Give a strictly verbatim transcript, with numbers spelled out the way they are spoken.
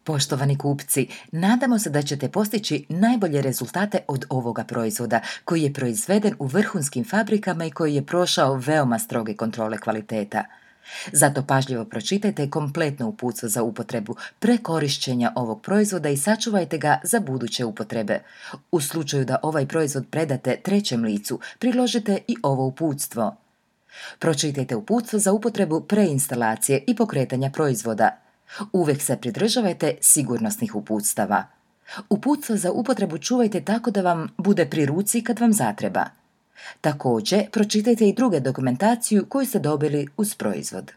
Poštovani kupci, nadamo se da ćete postići najbolje rezultate od ovoga proizvoda koji je proizveden u vrhunskim fabrikama i koji je prošao veoma stroge kontrole kvaliteta. Zato pažljivo pročitajte kompletno uputstvo za upotrebu pre korišćenja ovog proizvoda i sačuvajte ga za buduće upotrebe. U slučaju da ovaj proizvod predate trećem licu, priložite i ovo uputstvo. Pročitajte uputstvo za upotrebu preinstalacije i pokretanja proizvoda. Uvijek se pridržavajte sigurnosnih uputstava. Uputstvo za upotrebu čuvajte tako da vam bude pri ruci kad vam zatreba. Također, pročitajte i druge dokumentaciju koju ste dobili uz proizvod.